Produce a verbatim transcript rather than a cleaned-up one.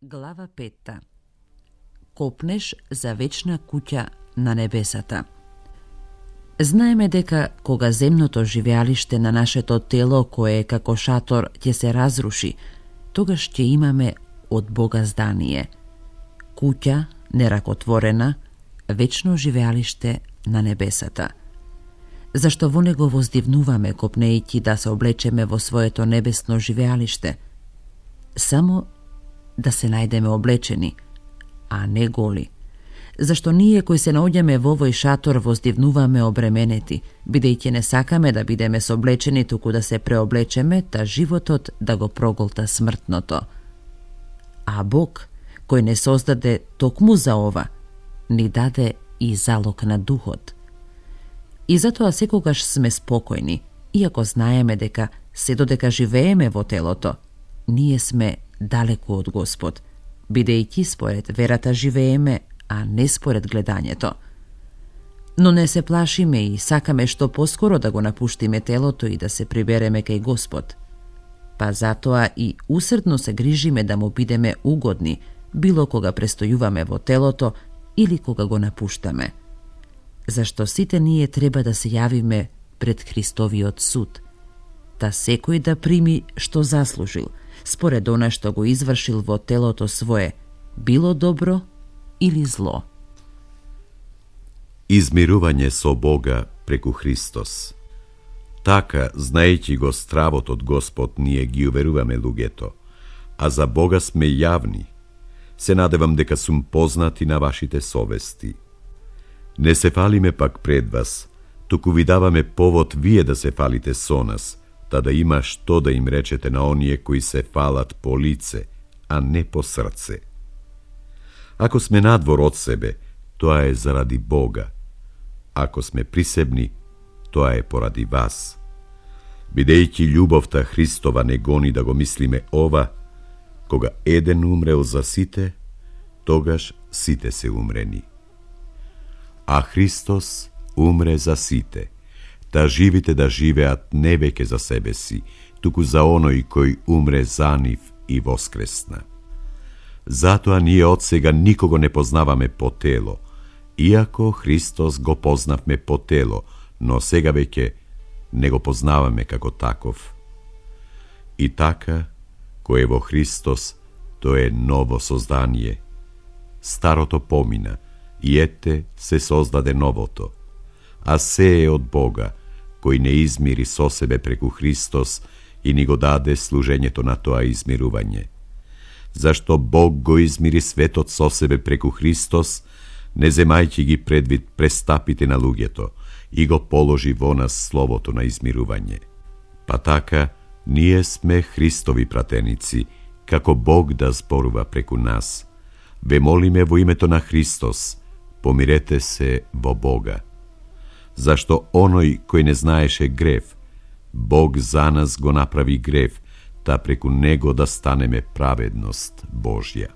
Глава петта. Копнеш за вечна куќа на небесата. Знаеме дека кога земното живеалиште на нашето тело, кое е како шатор, ќе се разруши, тогаш ќе имаме од Бога здание. Куќа, неракотворена, вечно живеалиште на небесата. Зашто во него воздивнуваме, копнејќи да се облечеме во своето небесно живеалиште? Само да се најдеме облечени, а не голи. Зашто ние кои се наоѓаме во овој шатор воздивнуваме обременети, бидејќи не сакаме да бидеме соблечени, туку да се преоблечеме, та животот да го проголта смртното. А Бог, кој не создаде токму за ова, ни даде и залог на духот. И затоа секогаш сме спокојни, иако знаеме дека се додека живееме во телото, ние сме далеку од Господ, бидејќи според верата живееме, а не според гледањето. Но не се плашиме и сакаме што поскоро да го напуштиме телото и да се прибереме кај Господ. Па затоа и усрдно се грижиме да му бидеме угодни, било кога престојуваме во телото или кога го напуштаме. Зашто сите ние треба да се јавиме пред Христовиот суд, та секој да прими што заслужил, според она што го извршил во телото свое, било добро или зло. Измирување со Бога преку Христос. Така, знаејќи го стравот од Господ, ние ги уверуваме луѓето, а за Бога сме јавни. Се надевам дека сум познати на вашите совести. Не се фалиме пак пред вас, туку ви даваме повод вие да се фалите со нас, та да има што да им речете на оние кои се фалат по лице, а не по срце. Ако сме надвор од себе, тоа е заради Бога. Ако сме присебни, тоа е поради вас. Бидејќи љубовта Христова не гони да го мислиме ова, кога еден умрел за сите, тогаш сите се умрени. А Христос умре за сите, та живите да живеат не веќе за себе си, туку за оној кој умре за нив и воскресна. Затоа ние од сега никого не познаваме по тело, иако Христос го познавме по тело, но сега веќе не го познаваме како таков. И така, кој е во Христос, тој е ново создание. Старото помина, и ете се создаде новото. А се е од Бога, кој не измири со себе преку Христос и ни го даде служењето на тоа измирување. Зашто Бог го измири светот со себе преку Христос, не земајќи ги предвид престапите на луѓето, и го положи во нас словото на измирување. Па така, ние сме Христови пратеници, како Бог да зборува преку нас. Ве молиме во името на Христос, помирете се во Бога. Зашто оној кој не знаеше грев, Бог за нас го направи грев, та преку него да станеме праведност Божја.